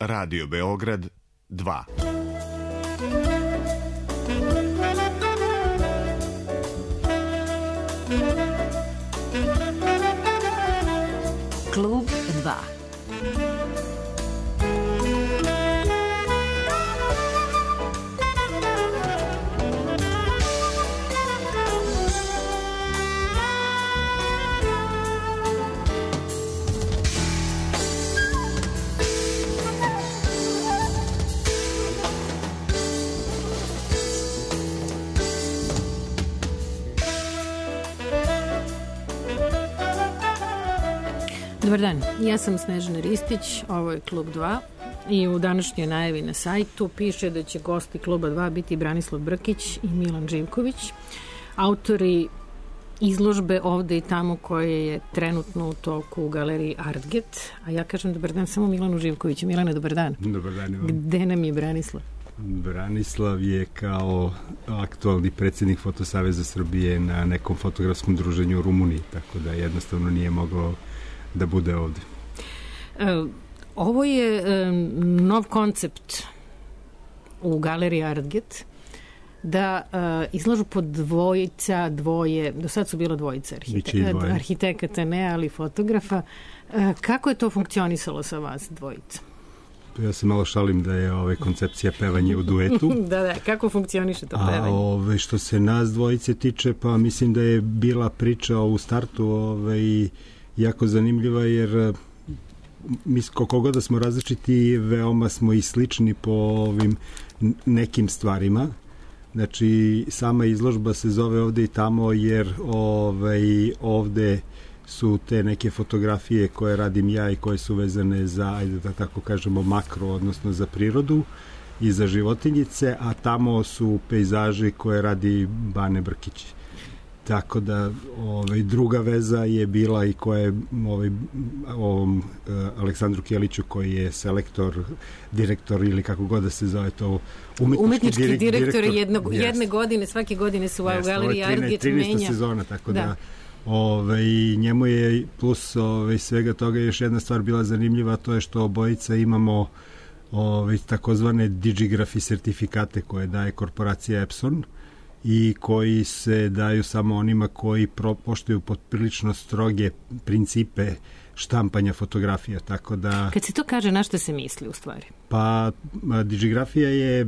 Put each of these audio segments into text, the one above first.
Radio Beograd 2. Klub 2. Dobar dan, ja sam Snežana Ristić, ovo je Klub 2 i u današnjoj najavi na sajtu piše da će gosti Kluba 2 biti Branislav Brkić i Milan Živković, autori izložbe Ovde i tamo koje je trenutno u toku u galeriji Artget, a ja kažem dobar dan samo Milanu Živkoviću. Milane, dobar dan. Dobar dan, Ivan. Gde nam je Branislav? Branislav je kao aktualni predsjednik Fotosaveza Srbije na nekom fotografskom druženju u Rumuniji, tako da jednostavno nije mogao da bude ovde. Ovo je nov koncept u galeriji Artget, da izlažu po dvoje, do sad su bilo dvojica arhitekata, ne, ali fotografa. Kako je to funkcionisalo sa vas dvojica? Ja se malo šalim da je koncepcija pevanje u duetu. Da, kako funkcioniše to pevanje? Što se nas dvojice tiče, pa mislim da je bila priča u startu jako zanimljiva, jer mi koliko god da smo različiti, veoma smo i slični po ovim nekim stvarima. Znači, sama izložba se zove Ovde i tamo, jer ovde su te neke fotografije koje radim ja i koje su vezane za, ajde da tako kažemo, makro, odnosno za prirodu i za životinjice, a tamo su pejzaži koje radi Bane Brkić. Tako da druga veza je bila i koja je ovom Aleksandru Kjeliću, koji je selektor, direktor ili kako god da se zove to, umetnički direktor jedne godine, svake godine su u galeriji Artget menja. 13. sezona, tako da njemu je plus svega toga još jedna stvar bila zanimljiva, to je što obojica imamo takozvane digigrafi sertifikate koje daje korporacija Epson i koji se daju samo onima koji poštuju prilično stroge principe štampanja fotografija, tako da... Kad se to kaže, na što se misli u stvari? Pa, digigrafija je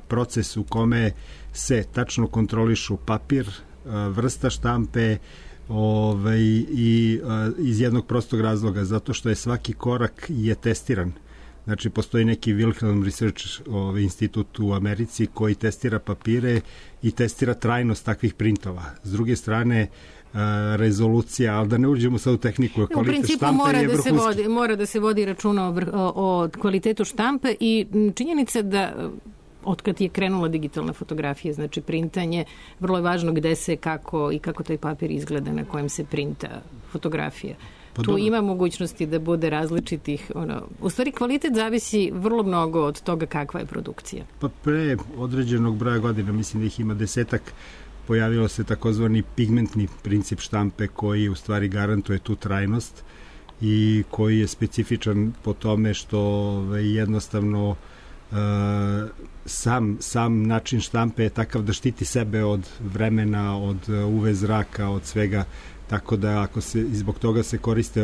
proces u kome se tačno kontrolišu papir, vrsta štampe i iz jednog prostog razloga, zato što je svaki korak je testiran. Znači, postoji neki Wilhelm Research institut u Americi koji testira papire i testira trajnost takvih printova. S druge strane, rezolucija, ali da ne uđemo sad u tehniku, kvalitet štampe je vrhunski. Mora da se vodi računa o kvalitetu štampe i činjenica da otkad je krenula digitalna fotografija, znači printanje, vrlo je važno gde se, kako taj papir izgleda na kojem se printa fotografija. Tu ima mogućnosti da bude različitih, u stvari kvalitet zavisi vrlo mnogo od toga kakva je produkcija. Pa pre određenog broja godina, mislim da ih ima 10-ak, pojavilo se takozvani pigmentni princip štampe koji u stvari garantuje tu trajnost i koji je specifičan po tome što jednostavno sam način štampe je takav da štiti sebe od vremena, od UV zraka, od svega. Tako da zbog toga se koriste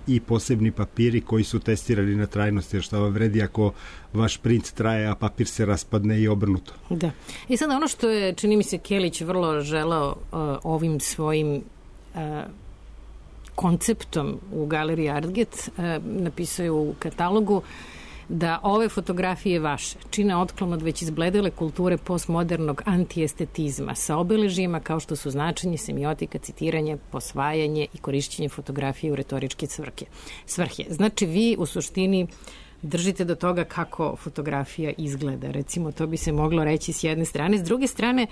i posebni papiri koji su testirani na trajnost, jer šta vam vredi ako vaš print traje, a papir se raspadne i obrnuto. Da. I sada ono što je, čini mi se, Kjelić vrlo želao ovim svojim konceptom u galeriji Artget, napisao je u katalogu da ove fotografije vaše čine otklon od već izbledele kulture postmodernog antiestetizma sa obeležijima kao što su značenje, semiotika, citiranje, posvajanje i korišćenje fotografije u retoričke svrhe. Znači, vi u suštini držite do toga kako fotografija izgleda. Recimo, to bi se moglo reći s jedne strane. S druge strane,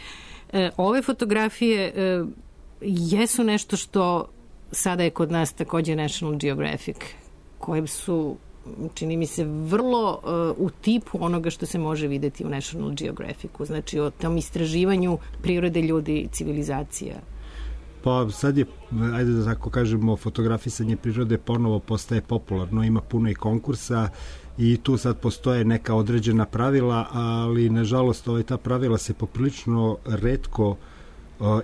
ove fotografije jesu nešto što sada je kod nas takođe National Geographic, koje su, čini mi se, vrlo u tipu onoga što se može videti u National Geographicu. Znači, o tom istraživanju prirode, ljudi, civilizacija. Pa sad je, ajde da tako kažemo, fotografisanje prirode ponovo postaje popularno, ima puno i konkursa i tu sad postoje neka određena pravila, ali nažalost ta pravila se poprilično retko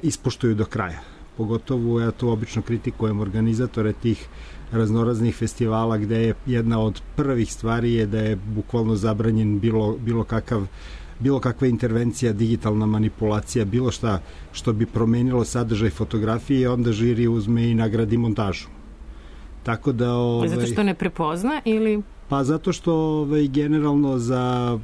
ispoštuju do kraja. Pogotovo ja to obično kritikujem organizatore tih raznoraznih festivala gde je jedna od prvih stvari je da je bukvalno zabranjen bilo kakva intervencija, digitalna manipulacija, bilo šta što bi promenilo sadržaj fotografije, onda žiri uzme i nagradi montažu. Tako da... Zato što ne prepozna ili... Pa zato što generalno za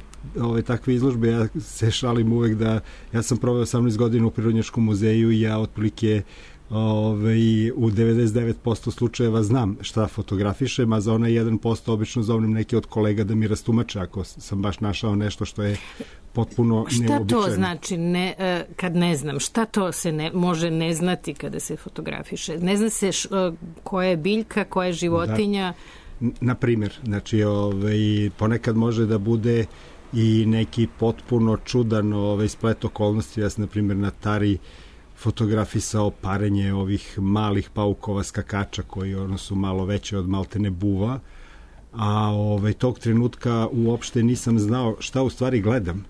takve izložbe, ja se šalim uvek da ja sam proveo 18 godina u Prirodnjačkom muzeju i ja otprilike u 99% slučajeva znam šta fotografišem, a za onaj 1% obično zovem neke od kolega da mi rastumače ako sam baš našao nešto što je potpuno neobičajno. Šta to znači kad ne znam? Šta to se može ne znati kada se fotografiše? Ne zna se koja je biljka, koja je životinja? Na primjer, znači ponekad može da bude i neki potpuno čudan splet okolnosti. Ja sam na primjer na Tari fotografisao parenje ovih malih paukova skakača koji su malo veće od maltene buva, a tog trenutka uopšte nisam znao šta u stvari gledam.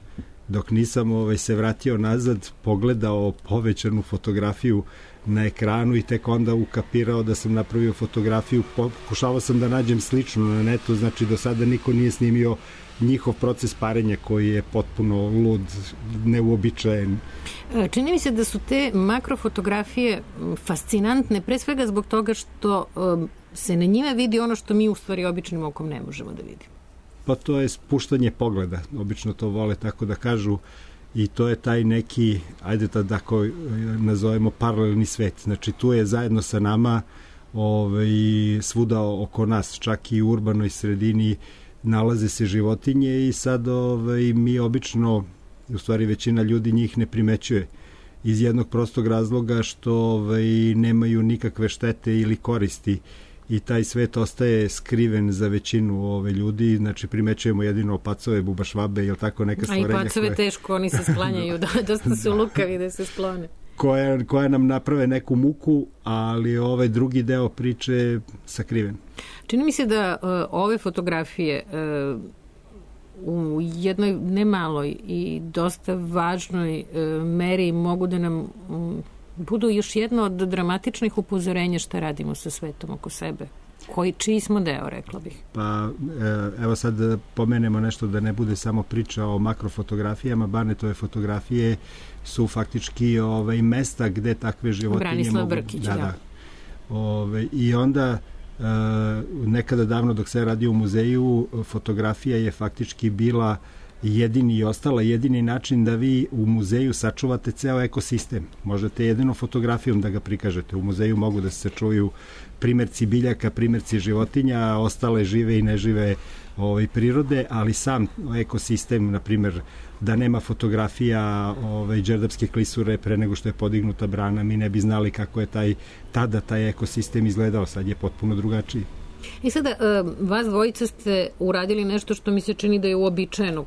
Dok nisam se vratio nazad, pogledao povećanu fotografiju na ekranu i tek onda ukapirao da sam napravio fotografiju. Pokušavao sam da nađem slično na netu, znači do sada niko nije snimio njihov proces parenja koji je potpuno lud, neuobičajen. Čini mi se da su te makrofotografije fascinantne, pre svega zbog toga što se na njime vidi ono što mi u stvari običnim okom ne možemo da vidimo. Pa to je spuštanje pogleda, obično to vole tako da kažu, i to je taj neki, ajde da tako nazovemo, paralelni svet. Znači tu je zajedno sa nama svuda oko nas, čak i u urbanoj sredini nalaze se životinje i sad mi obično, u stvari većina ljudi njih ne primećuje iz jednog prostog razloga što nemaju nikakve štete ili koristi i taj svet ostaje skriven za većinu ljudi, znači primećujemo jedino pacove, bubašvabe ili tako neka stvorenja. A i pacove teško, oni se sklanjaju, dosta su lukavi da se sklone. Koja nam naprave neku muku, ali drugi deo priče je sakriven. Čini mi se da ove fotografije u jednoj nemaloj i dosta važnoj meri mogu da nam budu još jedno od dramatičnih upozorenja šta radimo sa svetom oko sebe. Čiji smo deo, rekla bih? Pa evo sad da pomenemo nešto da ne bude samo priča o makrofotografijama, Barnetove fotografije su faktički mesta gde takve životinje Branislav Brkić, da. I onda nekada davno dok se radi u muzeju, fotografija je faktički bila jedini način da vi u muzeju sačuvate ceo ekosistem. Možete jedino fotografijom da ga prikažete. U muzeju mogu da se čuju primerci biljaka, primerci životinja, ostale žive i nežive prirode, ali sam ekosistem, na primjer, da nema fotografija đerdapske klisure pre nego što je podignuta brana, mi ne bi znali kako je tada taj ekosistem izgledao, sad je potpuno drugačiji. I sada, vas dvojica ste uradili nešto što mi se čini da je uobičajeno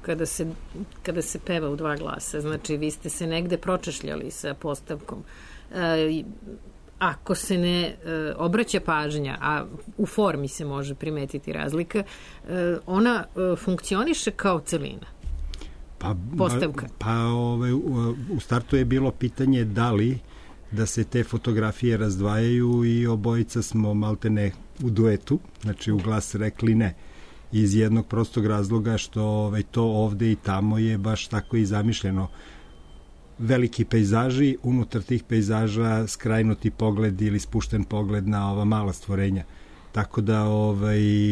kada se peva u dva glasa. Znači, vi ste se negde pročešljali sa postavkom. Ako se ne obraća pažnja, a u formi se može primetiti razlika, ona funkcioniše kao celina. Postavka. U startu je bilo pitanje da li da se te fotografije razdvajaju i obojica smo maltene u duetu, znači u glas rekli ne. Iz jednog prostog razloga što to ovde i tamo je baš tako i zamišljeno. Veliki pejzaži, unutar tih pejzaža skrajnuti pogled ili spušten pogled na ova mala stvorenja. Tako da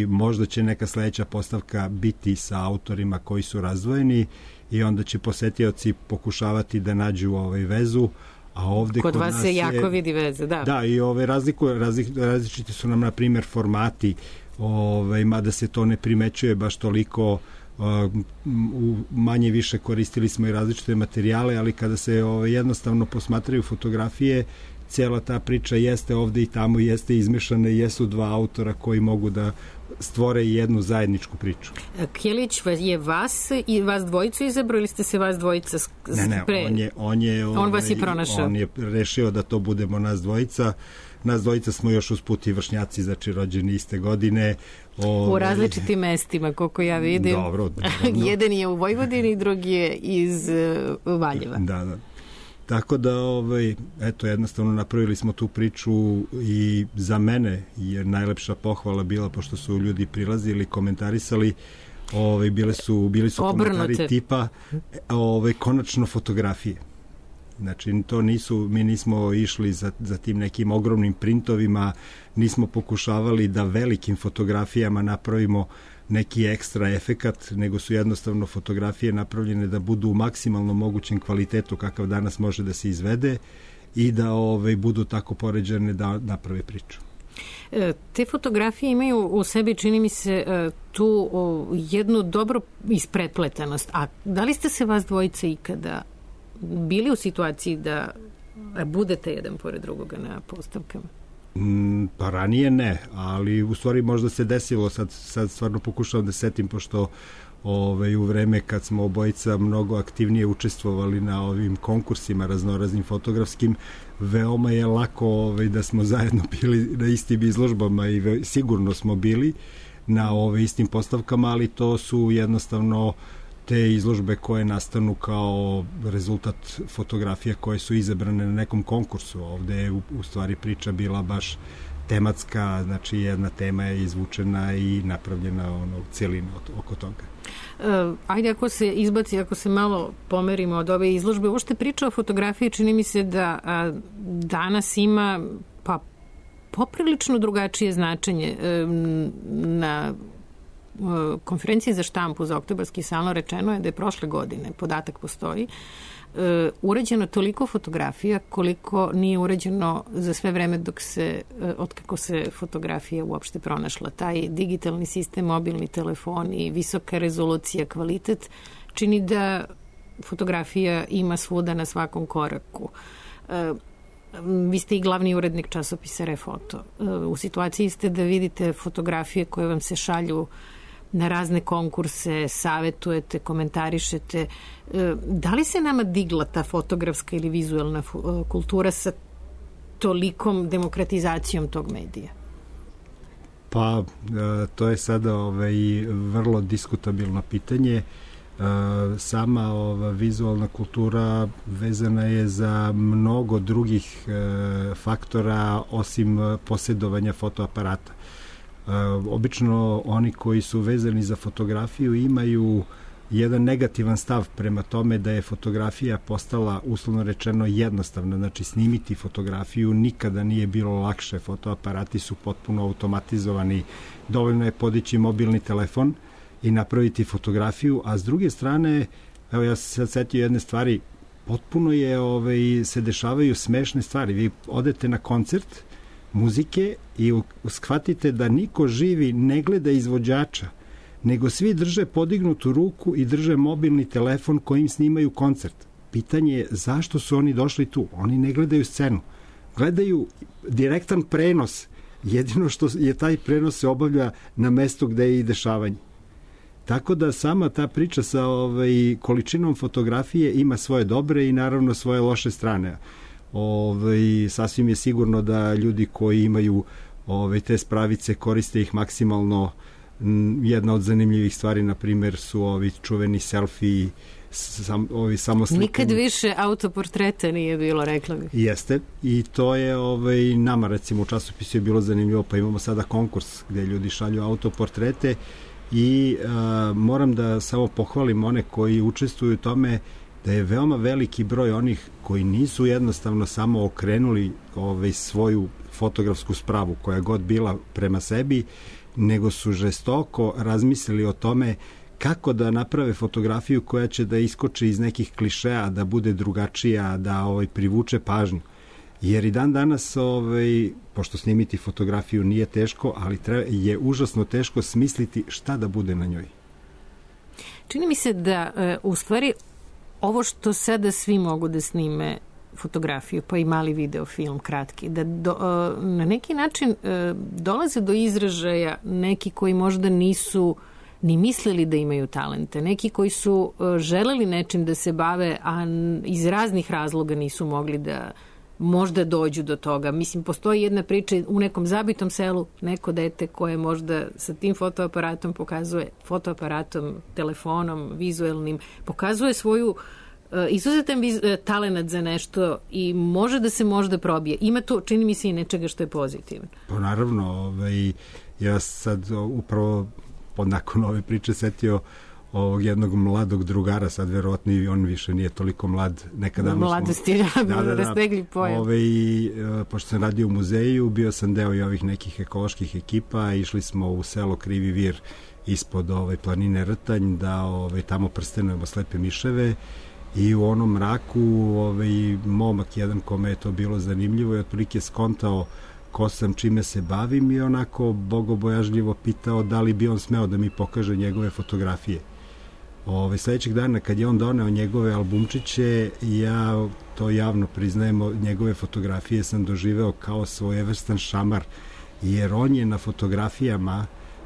možda će neka sledeća postavka biti sa autorima koji su razdvojeni i onda će posetioci pokušavati da nađu vezu, a ovde kod vas se jako vidi veze, da. Da, i različiti su nam, na primjer, formati, mada se to ne primećuje baš toliko, manje više koristili smo i različite materijale, ali kada se jednostavno posmatraju fotografije, cijela ta priča jeste ovde i tamo, jeste izmešana i jesu dva autora koji mogu da stvore jednu zajedničku priču. Kjelić je vas i vas dvojicu izabrao ili ste se vas dvojica pre? Ne, on vas je pronašao. On je rešio da to budemo nas dvojica. Nas dvojica smo još usput i vršnjaci, znači rođeni iste godine. U različitim mestima, koliko ja vidim. Dobro. Jedan je u Vojvodini, drugi je iz Valjeva. Da. Tako da, eto, jednostavno napravili smo tu priču i za mene je najlepša pohvala bila, pošto su ljudi prilazili, komentarisali, bili su komentari tipa konačno fotografije. Znači, mi nismo išli za tim nekim ogromnim printovima, nismo pokušavali da velikim fotografijama napravimo neki ekstra efekat, nego su jednostavno fotografije napravljene da budu u maksimalno mogućem kvalitetu kakav danas može da se izvede i da budu tako poređene da naprave priču. Te fotografije imaju u sebi, čini mi se, tu jednu dobro isprepletanost. A da li ste se vas dvojice ikada bili u situaciji da budete jedan pored drugoga na postavkama? Pa ranije ne, ali u stvari možda se desilo, sad stvarno pokušavam da setim, pošto u vreme kad smo obojica mnogo aktivnije učestvovali na ovim konkursima raznoraznim fotografskim, veoma je lako da smo zajedno bili na istim izložbama i sigurno smo bili na istim postavkama, ali to su jednostavno te izložbe koje nastanu kao rezultat fotografija koje su izabrane na nekom konkursu. Ovde je u stvari priča bila baš tematska, znači jedna tema je izvučena i napravljena cijelina oko toga. Ajde, ako se malo pomerimo od ove izložbe, uopšte priča o fotografiji čini mi se da danas ima poprilično drugačije značenje. Na konferenciji za štampu za Oktobarski salon rečeno je da je prošle godine, podatak postoji, urađeno toliko fotografija koliko nije urađeno za sve vreme otkako se fotografija uopšte pronašla. Taj digitalni sistem, mobilni telefon i visoka rezolucija, kvalitet čini da fotografija ima svuda na svakom koraku. Vi ste i glavni urednik časopisa Refoto. U situaciji ste da vidite fotografije koje vam se šalju na razne konkurse, savetujete, komentarišete. Da li se nama digla ta fotografska ili vizuelna kultura sa tolikom demokratizacijom tog medija? Pa, to je sada vrlo diskutabilno pitanje. Sama vizualna kultura vezana je za mnogo drugih faktora osim posjedovanja fotoaparata. Obično oni koji su vezani za fotografiju imaju jedan negativan stav prema tome da je fotografija postala, uslovno rečeno, jednostavna. Znači, snimiti fotografiju nikada nije bilo lakše. Fotoaparati su potpuno automatizovani. Dovoljno je podići mobilni telefon i napraviti fotografiju, a s druge strane, evo ja se sad setio jedne stvari, potpuno se dešavaju smešne stvari. Vi odete na koncert muzike i shvatite da niko živi ne gleda izvođača, nego svi drže podignutu ruku i drže mobilni telefon kojim snimaju koncert. Pitanje je zašto su oni došli tu? Oni ne gledaju scenu. Gledaju direktan prenos. Jedino što je taj prenos se obavlja na mestu gde je i dešavanje. Tako da sama ta priča sa količinom fotografije ima svoje dobre i naravno svoje loše strane. Sasvim je sigurno da ljudi koji imaju te spravice koriste ih maksimalno. Jedna od zanimljivih stvari, na primjer, su ovi čuveni selfie, samoslikani. Nikad više autoportreta nije bilo, rekla bih. Jeste, i to je nama, recimo, u časopisu je bilo zanimljivo, pa imamo sada konkurs gde ljudi šalju autoportrete i moram da samo pohvalim one koji učestvuju u tome, da je veoma veliki broj onih koji nisu jednostavno samo okrenuli svoju fotografsku spravu, koja god bila prema sebi, nego su žestoko razmislili o tome kako da naprave fotografiju koja će da iskoči iz nekih klišeja, da bude drugačija, da privuče pažnju. Jer i dan danas, pošto snimiti fotografiju nije teško, ali je užasno teško smisliti šta da bude na njoj. Čini mi se da u stvari ovo što sada svi mogu da snime fotografiju, pa i mali videofilm kratki, da na neki način dolaze do izražaja neki koji možda nisu ni mislili da imaju talente, neki koji su želeli nečim da se bave, a iz raznih razloga nisu mogli da možda dođu do toga. Mislim, postoji jedna priča u nekom zabitom selu, neko dete koje možda sa tim fotoaparatom pokazuje, fotoaparatom, telefonom, vizuelnim, pokazuje svoju izuzetan talenat za nešto i može da se možda probije. Ima to, čini mi se, i nečega što je pozitivno. Pa naravno, ja sad upravo nakon ove priče setio ovog jednog mladog drugara, sad verovatno i on više nije toliko mlad. Mladosti, rastegli pojam. Pošto sam radio u muzeju, bio sam deo i ovih nekih ekoloških ekipa, išli smo u selo Krivi Vir ispod planine Rtanj, da tamo prstenujemo slepe miševe i u onom mraku momak jedan kome je to bilo zanimljivo i otprilike skontao ko sam, čime se bavim i onako bogobojažljivo pitao da li bi on smeo da mi pokaže njegove fotografije. Sledećeg dana kad je on doneo njegove albumčiće, ja to javno priznajem, njegove fotografije sam doživeo kao svojevrstan šamar, jer on je na fotografijama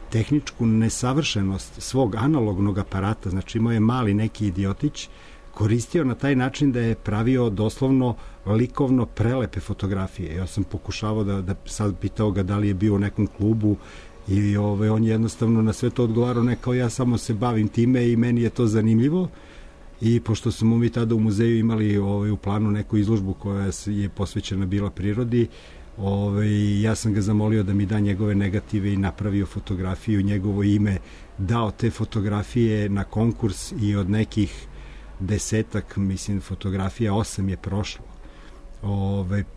tehničku nesavršenost svog analognog aparata, znači imao je mali neki idiotić, koristio na taj način da je pravio doslovno likovno prelepe fotografije. Ja sam pokušavao da sad pitao ga da li je bio u nekom klubu i on je jednostavno na sve to odgovarao, ne kao ja samo se bavim time i meni je to zanimljivo. I pošto smo mi tada u muzeju imali u planu neku izložbu koja je posvećena bila prirodi, ja sam ga zamolio da mi da njegove negative i napravio fotografiju, njegovo ime, dao te fotografije na konkurs i od nekih 10 fotografija 8 je prošlo.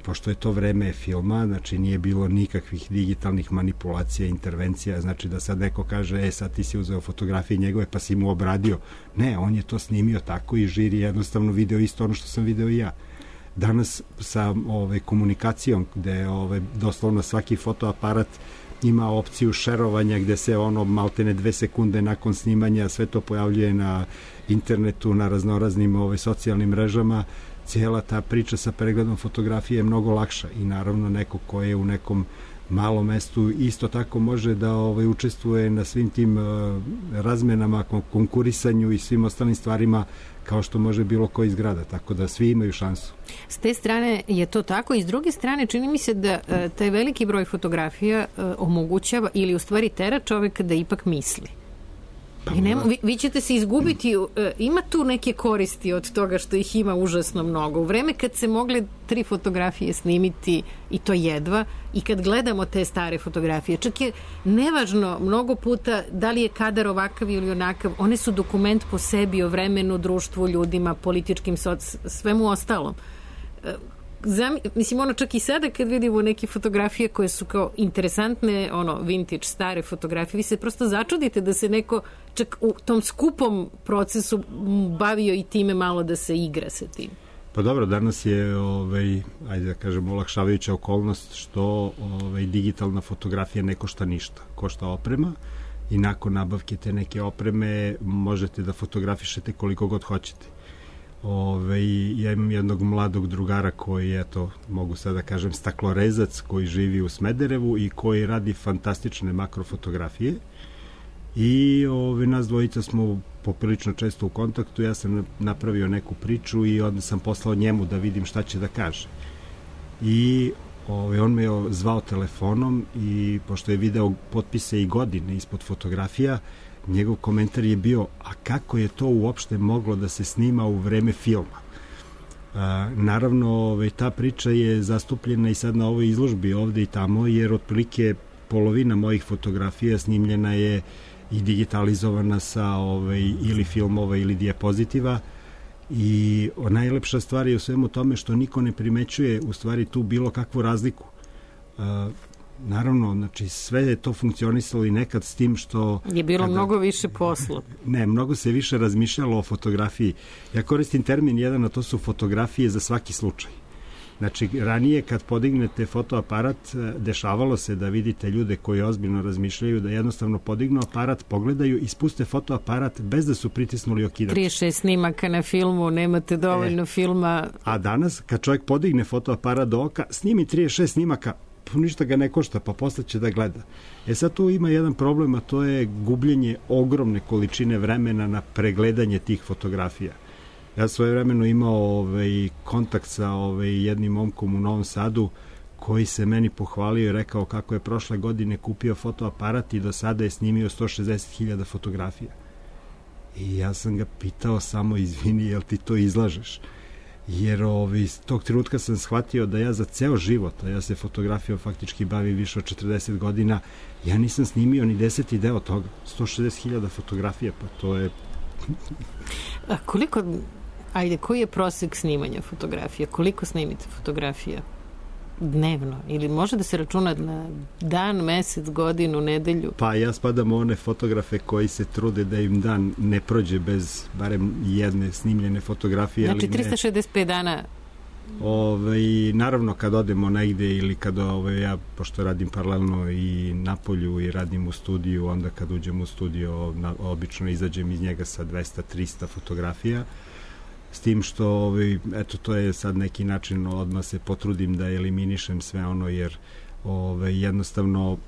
Pošto je to vreme filma, znači nije bilo nikakvih digitalnih manipulacija, intervencija, znači da sad neko kaže, sad ti si uzeo fotografije njegove pa si mu obradio. Ne, on je to snimio tako i žiri jednostavno video isto ono što sam video i ja. Danas sa komunikacijom, gde doslovno svaki fotoaparat ima opciju šerovanja gde se maltene 2 sekunde nakon snimanja sve to pojavljuje na internetu, na raznoraznim socijalnim mrežama, cijela ta priča sa pregledom fotografije je mnogo lakša i naravno neko ko je u nekom malom mestu isto tako može da učestvuje na svim tim razmenama, konkurisanju i svim ostalim stvarima kao što može bilo koji iz grada, tako da svi imaju šansu. S te strane je to tako i s druge strane čini mi se da taj veliki broj fotografija omogućava ili u stvari tera čoveka da ipak misli. Vi ćete se izgubiti, ima tu neke koristi od toga što ih ima užasno mnogo. U vreme kad se mogle 3 fotografije snimiti i to jedva i kad gledamo te stare fotografije, čak je nevažno mnogo puta da li je kadar ovakav ili onakav, one su dokument po sebi o vremenu, društvu, ljudima, političkim, svemu ostalom. Mislim, čak i sada kad vidimo neke fotografije koje su kao interesantne, vintage, stare fotografije, vi se prosto začudite da se neko čak u tom skupom procesu bavio i time malo da se igra sa tim. Pa dobro, danas je, ajde da kažem, olakšavajuća okolnost što digitalna fotografija ne košta ništa, košta oprema i nakon nabavke te neke opreme možete da fotografišete koliko god hoćete. Ja imam jednog mladog drugara koji, mogu sad da kažem, staklorezac koji živi u Smederevu i koji radi fantastične makrofotografije i nas dvojica smo poprilično često u kontaktu. Ja sam napravio neku priču i onda sam poslao njemu da vidim šta će da kaže. I on me je zvao telefonom i pošto je video potpise i godine ispod fotografija, njegov komentar je bio, a kako je to uopšte moglo da se snima u vreme filma? Naravno, ta priča je zastupljena i sad na ovoj izložbi ovde i tamo, jer otprilike polovina mojih fotografija snimljena je i digitalizovana sa ili filmova ili dijapozitiva i najlepša stvar je u svemu tome što niko ne primećuje u stvari tu bilo kakvu razliku. Naravno, znači sve je to funkcionisalo i nekad s tim što... Je bilo mnogo više posla. Ne, mnogo se više razmišljalo o fotografiji. Ja koristim termin jedan, a to su fotografije za svaki slučaj. Znači, ranije kad podignete fotoaparat, dešavalo se da vidite ljude koji ozbiljno razmišljaju, da jednostavno podignu aparat, pogledaju i spuste fotoaparat bez da su pritisnuli okidač. 36 snimaka na filmu, nemate dovoljno filma. A danas, kad čovjek podigne fotoaparat do oka, snimi 36 snimaka, ništa ga ne košta, pa posle će da gleda. Sad tu ima jedan problem, a to je gubljenje ogromne količine vremena na pregledanje tih fotografija. Ja svojevremeno imao kontakt sa jednim momkom u Novom Sadu koji se meni pohvalio i rekao kako je prošle godine kupio fotoaparat i do sada je snimio 160.000 fotografija. I ja sam ga pitao samo, izvini, jel ti to izlažeš? Jer iz tog trenutka sam shvatio da ja za ceo život, a ja se fotografijom faktički bavim više od 40 godina, ja nisam snimio ni 10. deo toga. 160.000 fotografija, pa to je... A koliko... Ajde, koji je prosek snimanja fotografija? Koliko snimite fotografija dnevno? Ili može da se računa na dan, mesec, godinu, nedelju? Pa ja spadam u one fotografe koji se trude da im dan ne prođe bez barem jedne snimljene fotografije. Znači 365 dana? Naravno kad odemo negde ili kad ja, pošto radim paralelno i na polju i radim u studiju, onda kad uđem u studio obično izađem iz njega sa 200-300 fotografija. S tim što, eto, to je sad neki način, odmah se potrudim da eliminišem sve ono, jer jednostavno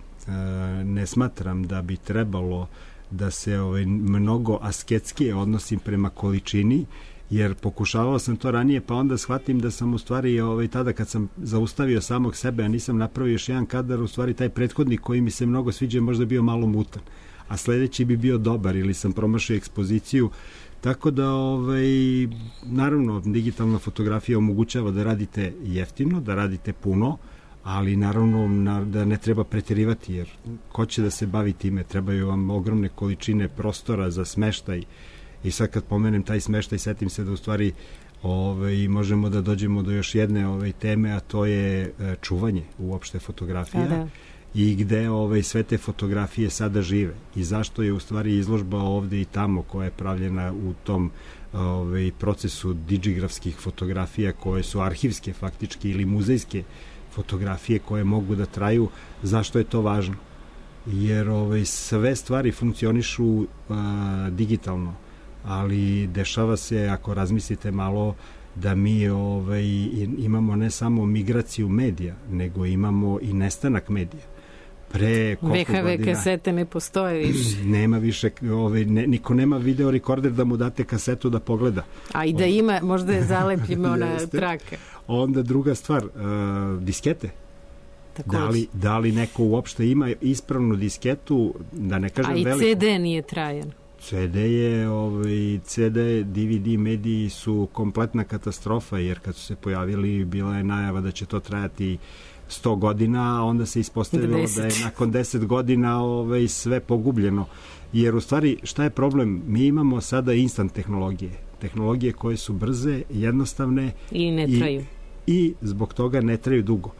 ne smatram da bi trebalo da se mnogo asketskije odnosim prema količini, jer pokušavao sam to ranije, pa onda shvatim da sam u stvari tada kad sam zaustavio samog sebe, a nisam napravio još jedan kadar, u stvari taj prethodnik koji mi se mnogo sviđa možda bio malo mutan, a sledeći bi bio dobar ili sam promašio ekspoziciju. Tako da, naravno, digitalna fotografija omogućava da radite jeftino, da radite puno, ali naravno da ne treba preterivati, jer ko će da se bavi time, trebaju vam ogromne količine prostora za smeštaj. I sad kad pomenem taj smeštaj, setim se da u stvari možemo da dođemo do još jedne teme, a to je čuvanje uopšte fotografija. Da. I gde sve te fotografije sada žive i zašto je u stvari izložba ovde i tamo koja je pravljena u tom procesu digigrafskih fotografija koje su arhivske faktički ili muzejske fotografije koje mogu da traju. Zašto je to važno? Jer sve stvari funkcionišu digitalno, ali dešava se, ako razmislite malo, da mi imamo ne samo migraciju medija, nego imamo i nestanak medija. VHV kasete ne postoje više. Nema više, niko nema video rekorder da mu date kasetu da pogleda. A i da ima, možda je zalepljima ona traka. Onda druga stvar, diskete. Da li neko uopšte ima ispravnu disketu, da ne kažem veliko. A i CD nije trajan. CD, DVD mediji su kompletna katastrofa, jer kad su se pojavili bila je najava da će to trajati 100 godina, a onda se ispostavilo da je nakon 10 godina sve pogubljeno. Jer u stvari šta je problem? Mi imamo sada instant tehnologije koje su brze, jednostavne i ne traju. I zbog toga ne traju dugo.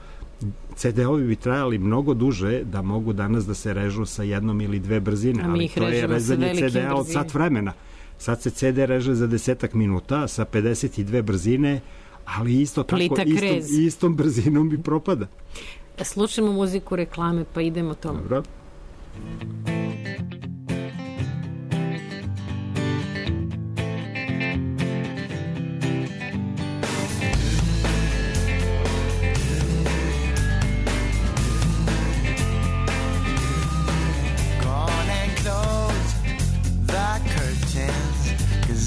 CD-ovi bi trajali mnogo duže da mogu danas da se režu sa jednom ili dve brzine, ali to je rezanje CD-a od sat vremena. Sad se CD reže za 10 minuta sa 52 brzine, ali isto tako istom brzinom bi propada. Slušamo muziku reklame, pa idemo tomu. Dobro.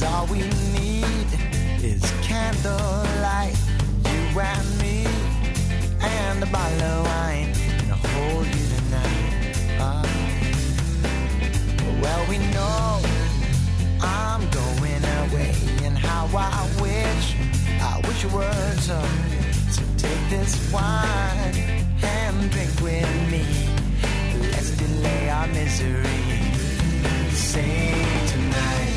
All we need is candlelight, you and me, and a bottle of wine, and I'll hold you tonight. Well, we know I'm going away, and how I wish you were so take this wine and drink with me. Let's delay our misery. Sing tonight.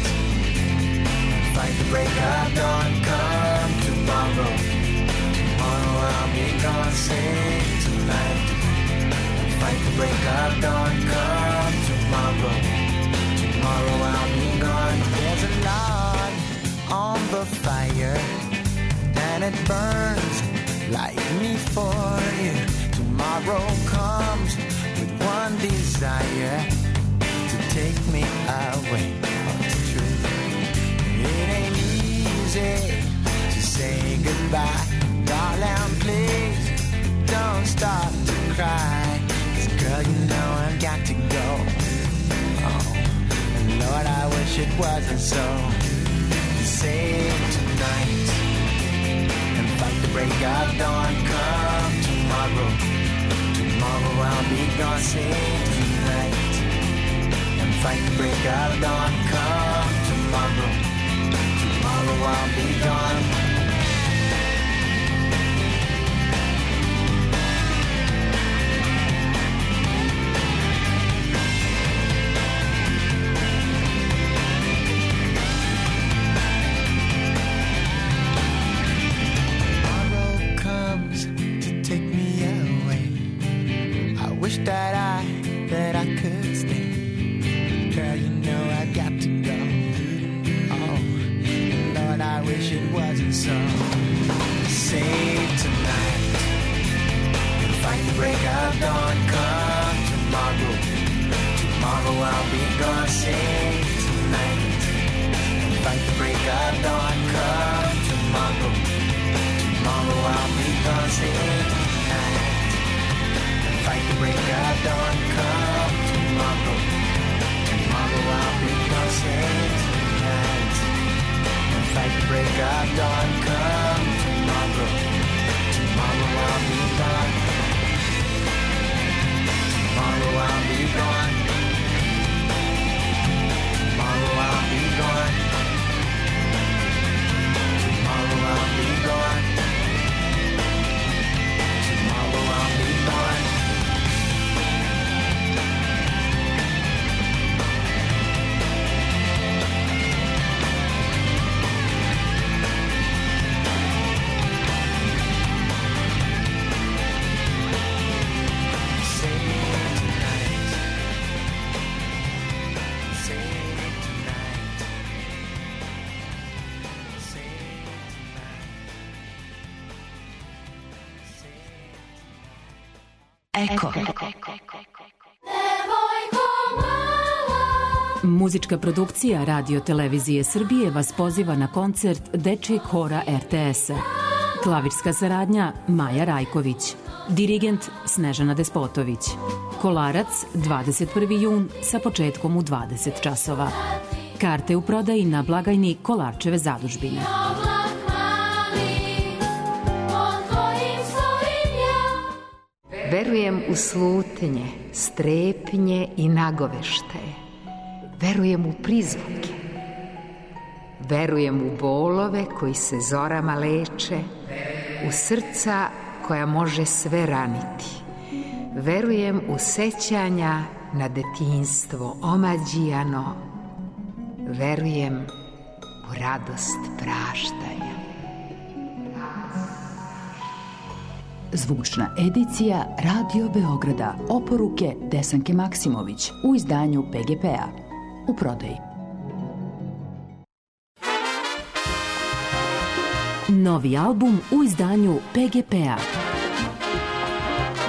Fight the break of dawn, come tomorrow. Tomorrow I'll be gone, sing tonight. Fight the break of dawn, come tomorrow. Tomorrow I'll be gone. There's a log on the fire, and it burns way of the truth. It ain't easy to say goodbye. Darling, please don't start to cry. 'Cause girl, you know I've got to go. Oh, and Lord, I wish it wasn't so. Save tonight and fight the break of dawn. Come tomorrow, tomorrow I'll be gone. Save tonight and fight the break of dawn. Come tomorrow, tomorrow I'll be gone. That I could stay. Girl, you know I've got to go. Oh, Lord, I wish it wasn't so. Save tonight and fight the break of dawn. Come tomorrow, tomorrow I'll be gone. Save tonight and fight the break of dawn. Come tomorrow, tomorrow I'll be gone. Save tonight. Fight the break of dawn, come tomorrow. Tomorrow I'll be gone, save tonight. And fight the break of dawn, come tomorrow. Tomorrow I'll be gone. Tomorrow I'll be gone. Tomorrow I'll be gone. Tomorrow I'll be gone. Tomorrow I'll be gone. Eko. Muzička produkcija Radio Televizije Srbije vas poziva na koncert Dečijeg hora RTS-a. Klavirska saradnja Maja Rajković. Dirigent Snežana Despotović. Kolarac 21. jun sa početkom u 20 časova. Karte u prodaji na blagajni Kolarčeve zadužbine. Verujem u slutnje, strepnje i nagovešte. Verujem u prizvuke. Verujem u bolove koji se zorama leče, u srca koja može sve raniti. Verujem u sećanja na detinjstvo omađijano. Verujem u radost praštanja. Zvučna edicija Radio Beograda. Oporuke Desanke Maksimović u izdanju PGP-a. U prodaji. Novi album u izdanju PGP-a.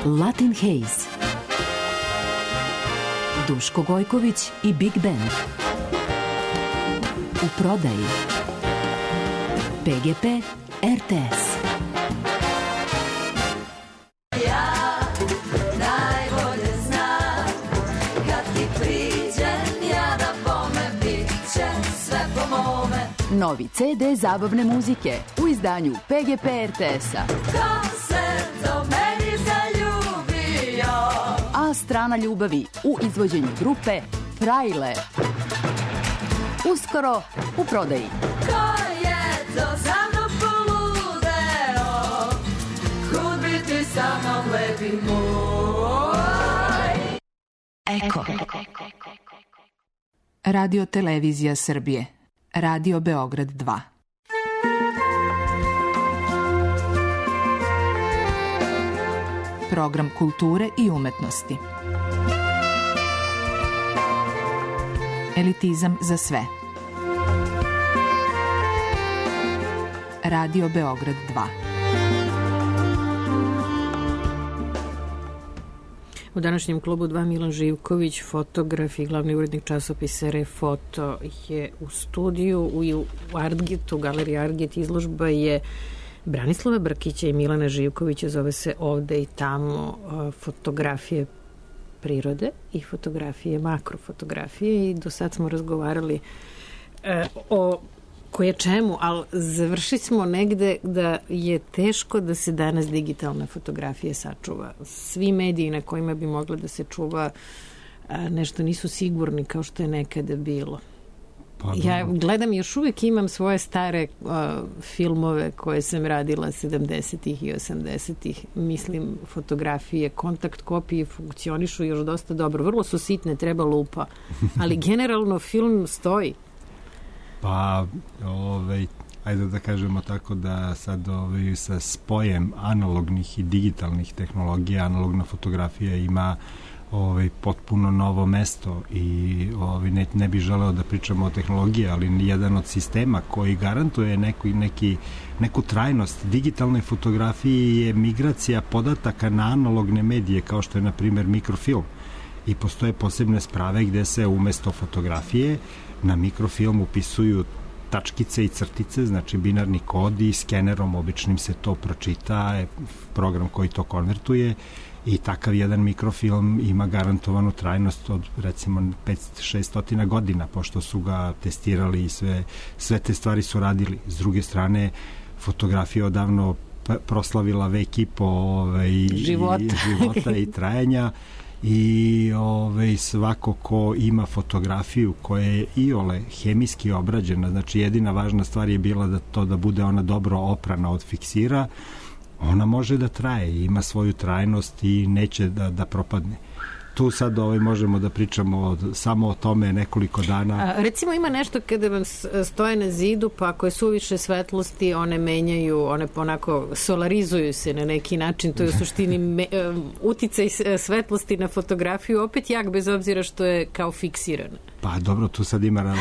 Latin Haze. Duško Gojković i Big Band. U prodaji. PGP RTS. Novi CD zabavne muzike u izdanju PGP RTS-a. Ko se do meni zaljubio? A strana ljubavi u izvođenju grupe Frajle. Uskoro u prodaji. Ko je to za mnom poludeo? Kud biti sa mnom lepi moj? Eko. Radio Televizija Srbije. Radio Beograd 2. Program kulture i umetnosti. Elitizam za sve. Radio Beograd 2. U današnjem klubu 2 Milan Živković, fotograf i glavni urednik časopisa Refoto je u studiju u Artgetu, galeriji Artget. Izložba je Branislava Brkića i Milana Živkovića, zove se Ovde i tamo, fotografije prirode i fotografije, makrofotografije, i do sad smo razgovarali o koje čemu, ali završili smo negde da je teško da se danas digitalna fotografija sačuva. Svi mediji na kojima bi mogla da se čuva nešto nisu sigurni kao što je nekada bilo. Ja gledam, još uvijek imam svoje stare filmove koje sam radila 70-ih i 80-ih. Mislim, fotografije, kontakt kopije funkcionišu još dosta dobro. Vrlo su sitne, treba lupa. Ali generalno film stoji. Pa, ajde da kažemo tako da sad sa spojem analognih i digitalnih tehnologija, analogna fotografija ima potpuno novo mesto i ne bih želeo da pričamo o tehnologiji, ali jedan od sistema koji garantuje neku trajnost digitalne fotografije je migracija podataka na analogne medije, kao što je na primjer mikrofilm, i postoje posebne sprave gde se umesto fotografije na mikrofilm upisuju tačkice i crtice, znači binarni kod, i skenerom običnim se to pročita, program koji to konvertuje, i takav jedan mikrofilm ima garantovanu trajnost od recimo 500-600 godina, pošto su ga testirali i sve te stvari su radili. S druge strane, fotografija odavno proslavila vek i po života i trajanja, i svako ko ima fotografiju koja je iole hemijski obrađena, znači jedina važna stvar je bila da bude ona dobro oprana od fiksira, ona može da traje, ima svoju trajnost i neće da propadne. Tu sad možemo da pričamo samo o tome nekoliko dana. Recimo ima nešto kada vam stoje na zidu, pa ako je suviše svetlosti, one menjaju, one onako solarizuju se na neki način, to je u suštini uticaj svetlosti na fotografiju, opet jak, bez obzira što je kao fiksirana. Pa dobro, tu sad ima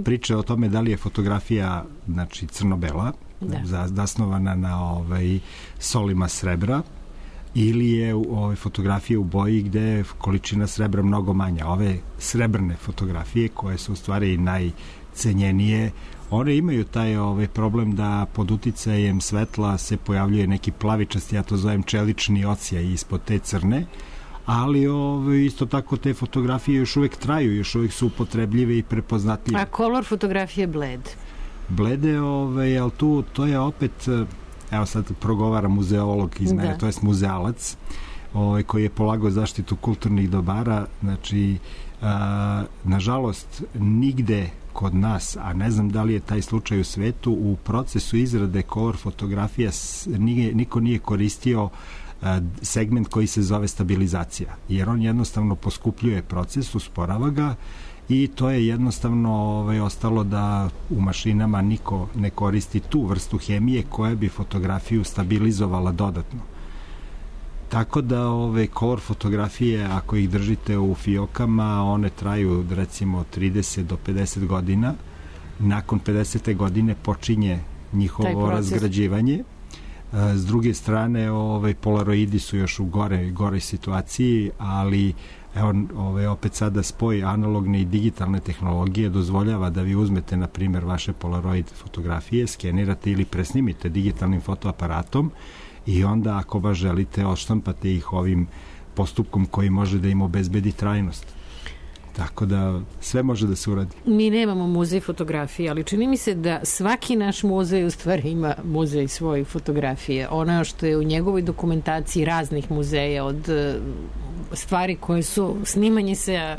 priče o tome da li je fotografija, znači crno-bela, zasnovana na solima srebra, ili je fotografija u boji gde je količina srebra mnogo manja. Ove srebrne fotografije, koje su u stvari najcenjenije, one imaju taj problem da pod uticajem svetla se pojavljuje neki plavičasti, ja to zovem čelični odsjaj ispod te crne, ali isto tako te fotografije još uvek traju, još uvek su upotrebljive i prepoznatljive. A kolor fotografije bled? Blede, ali to je opet, evo sad progovara muzeolog iz mene, to je muzealac, koji je polagao zaštitu kulturnih dobara. Znači, nažalost, nigde kod nas, a ne znam da li je taj slučaj u svetu, u procesu izrade color fotografija niko nije koristio segment koji se zove stabilizacija, jer on jednostavno poskupljuje proces, usporava ga, i to je jednostavno ostalo da u mašinama niko ne koristi tu vrstu hemije koja bi fotografiju stabilizovala dodatno. Tako da color fotografije, ako ih držite u fijokama, one traju recimo 30 do 50 godina. Nakon 50. godine počinje njihovo razgrađivanje. S druge strane, polaroidi su još u goroj situaciji, ali evo, opet sada spoj analogne i digitalne tehnologije dozvoljava da vi uzmete, na primjer, vaše polaroid fotografije, skenirate ili presnimite digitalnim fotoaparatom, i onda, ako baš želite, odštampate ih ovim postupkom koji može da im obezbedi trajnost. Tako da sve može da se uradi. Mi nemamo muzej fotografije, ali čini mi se da svaki naš muzej u stvari ima muzej svoje fotografije. Ono što je u njegovoj dokumentaciji raznih muzeja, od stvari koje su snimanje se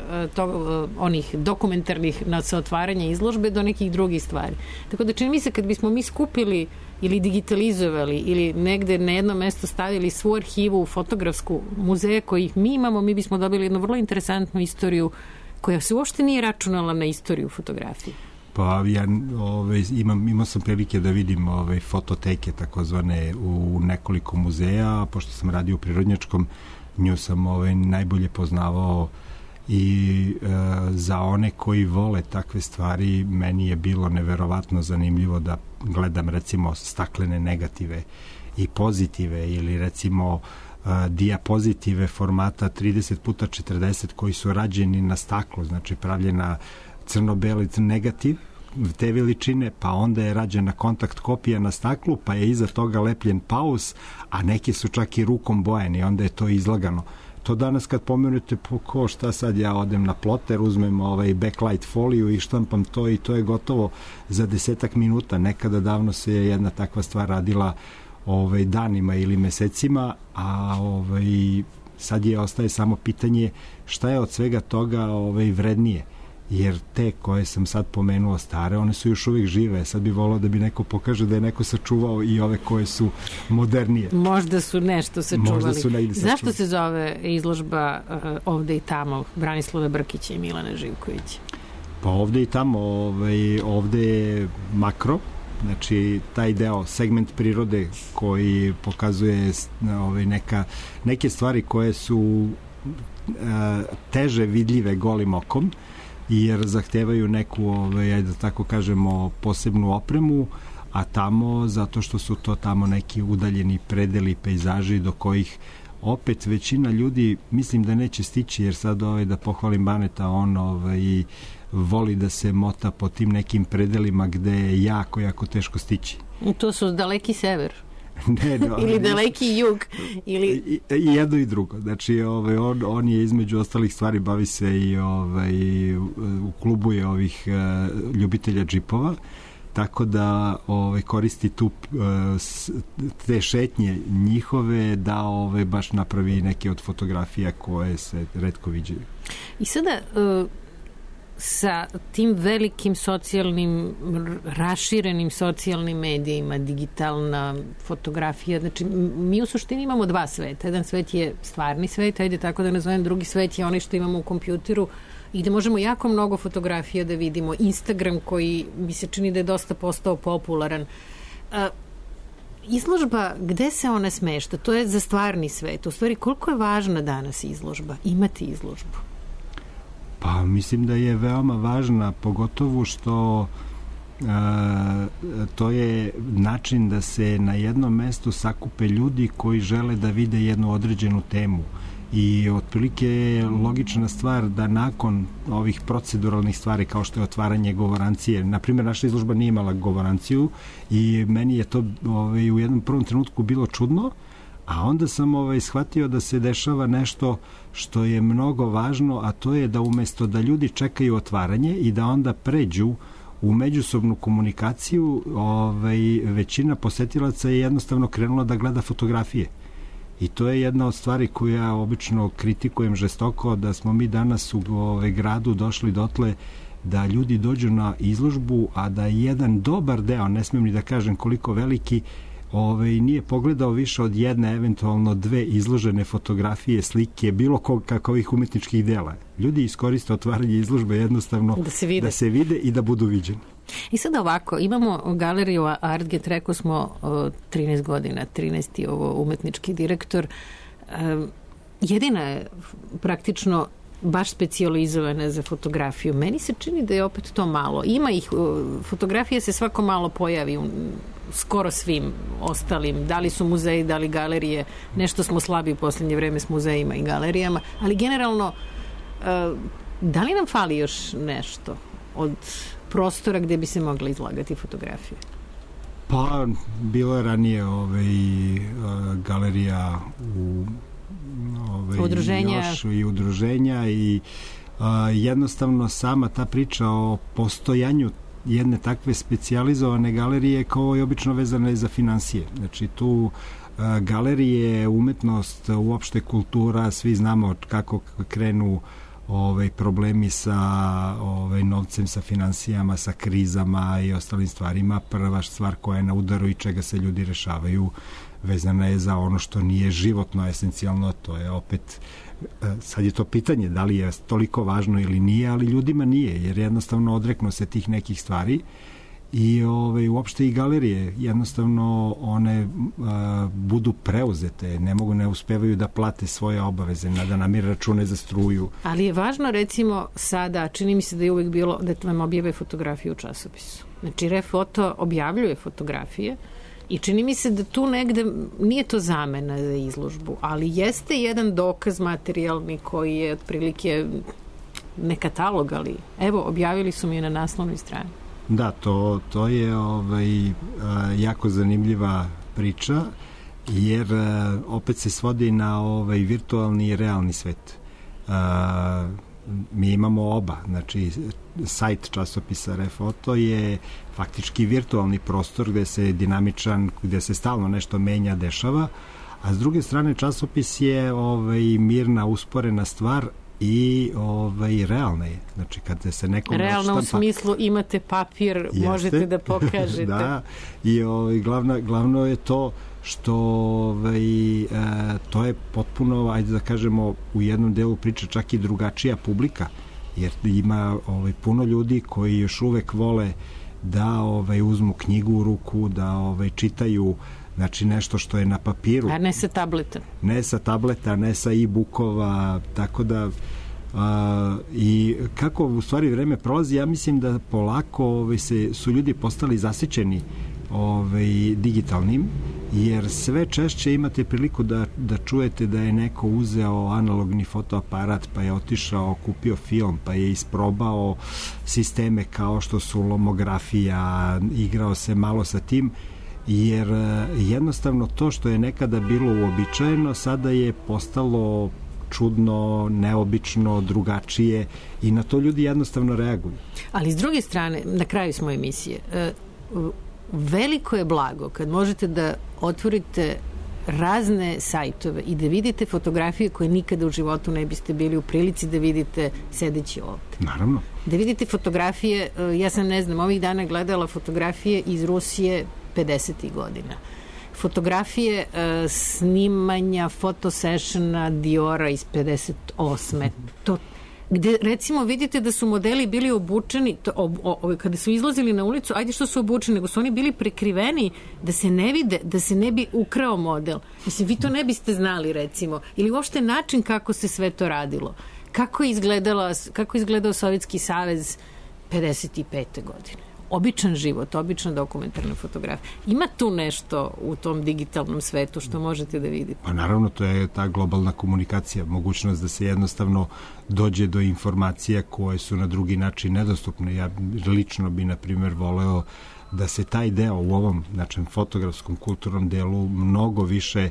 onih dokumentarnih sa otvaranja izložbe do nekih drugih stvari. Tako da čini mi se kad bismo mi skupili ili digitalizovali ili negde na jedno mesto stavili svu arhivu fotografsku muzeja kojih mi imamo, mi bismo dobili jednu vrlo interesantnu istoriju koja se uopšte nije računala na istoriju fotografije. Pa ja imao sam prilike da vidim fototeke takozvane u nekoliko muzeja, pošto sam radio u Prirodnjačkom, nju sam najbolje poznavao, i za one koji vole takve stvari meni je bilo neverovatno zanimljivo da gledam recimo staklene negative i pozitive, ili recimo dijapozitive formata 30x40 koji su rađeni na staklu, znači pravljena crno-beli negativ te veličine, pa onda je rađena kontakt kopija na staklu, pa je iza toga lepljen paus, a neki su čak i rukom bojeni, onda je to izlagano. To danas kad pomenute, ko šta sad ja odem na ploter, uzmem backlight foliju i štampam to i to je gotovo za 10 minuta. Nekada davno se jedna takva stvar radila danima ili mesecima, a sad ostaje samo pitanje šta je od svega toga vrednije. Jer te koje sam sad pomenuo stare, one su još uvijek žive. Sad bi volao da bi neko pokaže da je neko sačuvao i ove koje su modernije. Možda su nešto sačuvali. Možda su negdje sačuvali. Zašto se zove izložba Ovde i tamo Branislava Brkića i Milana Živkovića? Pa ovde i tamo, ovde je makro, znači taj deo, segment prirode koji pokazuje neke stvari koje su teže vidljive golim okom, jer zahtevaju neku, da tako kažemo, posebnu opremu, a tamo, zato što su to tamo neki udaljeni predeli, pejzaži do kojih opet većina ljudi mislim da neće stići, jer sad da pohvalim Baneta, on voli da se mota po tim nekim predelima gde je jako teško stići. To su daleki sever. Ne, ili daleki jug ili... I jedno i drugo, znači on je između ostalih stvari bavi se i u klubu je ovih ljubitelja džipova, tako da koristi tu te šetnje njihove da baš napravi neke od fotografija koje se retko viđaju. I sada sa tim velikim socijalnim, raširenim socijalnim medijima, digitalna fotografija, znači mi u suštini imamo dva sveta. Jedan svet je stvarni svet, ajde tako da nazovem, drugi svet je onaj što imamo u kompjuteru i gde možemo jako mnogo fotografija da vidimo. Instagram koji mi se čini da je dosta postao popularan. Izložba, gde se ona smešta? To je za stvarni svet. U stvari, koliko je važna danas izložba? Imati izložbu? Pa mislim da je veoma važna, pogotovo što to je način da se na jednom mestu sakupe ljudi koji žele da vide jednu određenu temu. I otprilike je logična stvar da nakon ovih proceduralnih stvari kao što je otvaranje govorancije, na primjer naša izložba nije imala govoranciju i meni je to u jednom prvom trenutku bilo čudno, a onda sam shvatio da se dešava nešto što je mnogo važno, a to je da umesto da ljudi čekaju otvaranje i da onda pređu u međusobnu komunikaciju, većina posetilaca je jednostavno krenula da gleda fotografije. I to je jedna od stvari koju ja obično kritikujem žestoko, da smo mi danas u gradu došli dotle da ljudi dođu na izložbu, a da jedan dobar deo, ne smijem ni da kažem koliko veliki, nije pogledao više od jedne, eventualno dve izložene fotografije, slike, bilo kakvih umetničkih dela. Ljudi iskoriste otvaranje izložbe jednostavno da se vide i da budu viđeni. I sada ovako, imamo galeriju Artget, rekao smo 13 godina, 13. umetnički direktor. Jedina je praktično baš specijalizovana za fotografiju. Meni se čini da je opet to malo. Ima ih, fotografija se svako malo pojavi u skoro svim ostalim, da li su muzeji, da li galerije, nešto smo slabi u poslednje vreme s muzejima i galerijama, ali generalno da li nam fali još nešto od prostora gde bi se mogla izlagati fotografije? Pa, bilo je ranije galerija u udruženja. Još i udruženja i jednostavno sama ta priča o postojanju jedne takve specijalizovane galerije kao i obično vezane za finansije. Znači tu galerije, umetnost, uopšte kultura, svi znamo kako krenu problemi sa novcem, sa finansijama, sa krizama i ostalim stvarima. Prva stvar koja je na udaru i čega se ljudi rešavaju vezana je za ono što nije životno esencijalno, to je opet sad je to pitanje da li je toliko važno ili nije, ali ljudima nije, jer jednostavno odreknu se tih nekih stvari i uopšte i galerije jednostavno one budu preuzete, ne uspevaju da plate svoje obaveze, da namire račune za struju. Ali je važno recimo sada, čini mi se da je uvek bilo da vam objave fotografiju u časopisu. Znači Refoto objavljuje fotografije I čini mi se da tu negde nije to zamena za izložbu, ali jeste jedan dokaz materijalni koji je otprilike ne katalog, ali evo, objavili su mi je na naslovnoj strani. Da, to je jako zanimljiva priča, jer opet se svodi na virtualni i realni svet. Mi imamo oba, znači sajt časopisa Refoto je faktički virtualni prostor gde se dinamičan, gde se stalno nešto menja, dešava, a s druge strane časopis je mirna, usporena stvar i realna je. Znači kada se nekom realno u smislu imate papir, možete da pokažete. Da, i glavno je to što to je potpuno, ajde da kažemo, u jednom delu priče čak i drugačija publika, jer ima puno ljudi koji još uvek vole da uzmu knjigu u ruku, da čitaju, znači nešto što je na papiru. A ne sa tableta. Ne sa tableta, ne sa e-bookova, tako da i kako u stvari vreme prolazi, ja mislim da polako su ljudi postali zasićeni digitalnim, jer sve češće imate priliku da čujete da je neko uzeo analogni fotoaparat, pa je otišao, kupio film, pa je isprobao sisteme kao što su lomografija, igrao se malo sa tim, jer jednostavno to što je nekada bilo uobičajeno, sada je postalo čudno, neobično, drugačije i na to ljudi jednostavno reaguju. Ali s druge strane, na kraju smo emisije, veliko je blago kad možete da otvorite razne sajtove i da vidite fotografije koje nikada u životu ne biste bili u prilici da vidite sedeći ovde. Naravno. Da vidite fotografije, ja sam ovih dana gledala fotografije iz Rusije 50. godina. Fotografije snimanja fotosessiona Diora iz 58. To gde recimo vidite da su modeli bili obučeni, kada su izlazili na ulicu, ajde što su obučeni, nego su oni bili prekriveni da se ne vide, da se ne bi ukrao model. Mislim, vi to ne biste znali recimo. Ili uopšte način kako se sve to radilo. Kako je izgledao Sovjetski savez 55. godine. Običan život, obična dokumentarna fotografija. Ima tu nešto u tom digitalnom svetu što možete da vidite? Pa naravno, to je ta globalna komunikacija, mogućnost da se jednostavno dođe do informacija koje su na drugi način nedostupne. Ja lično bi, na primjer, voleo da se taj deo u ovom, znači, fotografskom kulturnom delu mnogo više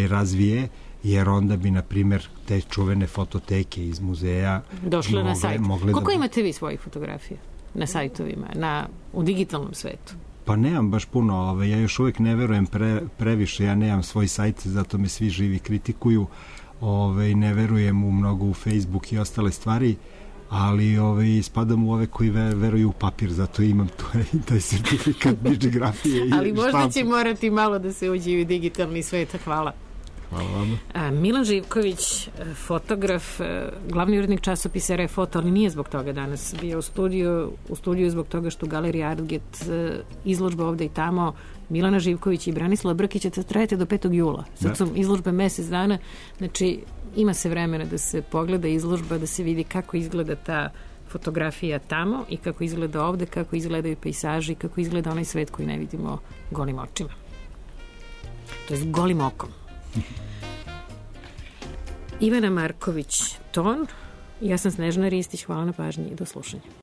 razvije, jer onda bi, na primjer, te čuvene fototeke iz muzeja došle na sajt. Koliko imate vi svojih fotografija na sajtovima, u digitalnom svetu? Pa nemam baš puno, ja još uvek ne verujem previše, ja nemam svoj sajt, zato me svi živi kritikuju, ne verujem u mnogo u Facebook i ostale stvari, ali spadam u ove koji veruju u papir, zato imam taj sertifikat bibliografije i ali možda će morati malo da se uđe u digitalni svet. Hvala. Hvala vam. Milan Živković, fotograf, glavni urednik časopisa Refoto, ali nije zbog toga danas bio u studiju zbog toga što u Galeriji Artget izložba ovde i tamo Milana Živković i Branislava Brkića trajete do 5. jula. Sad su izložbe mesec dana, znači ima se vremena da se pogleda izložba, da se vidi kako izgleda ta fotografija tamo i kako izgleda ovde, kako izgledaju pejsaži, kako izgleda onaj svet koji ne vidimo golim očima. To je golim okom. Ivana Marković Ton, ja sam Snežana Ristić, hvala na pažnji i do slušanja.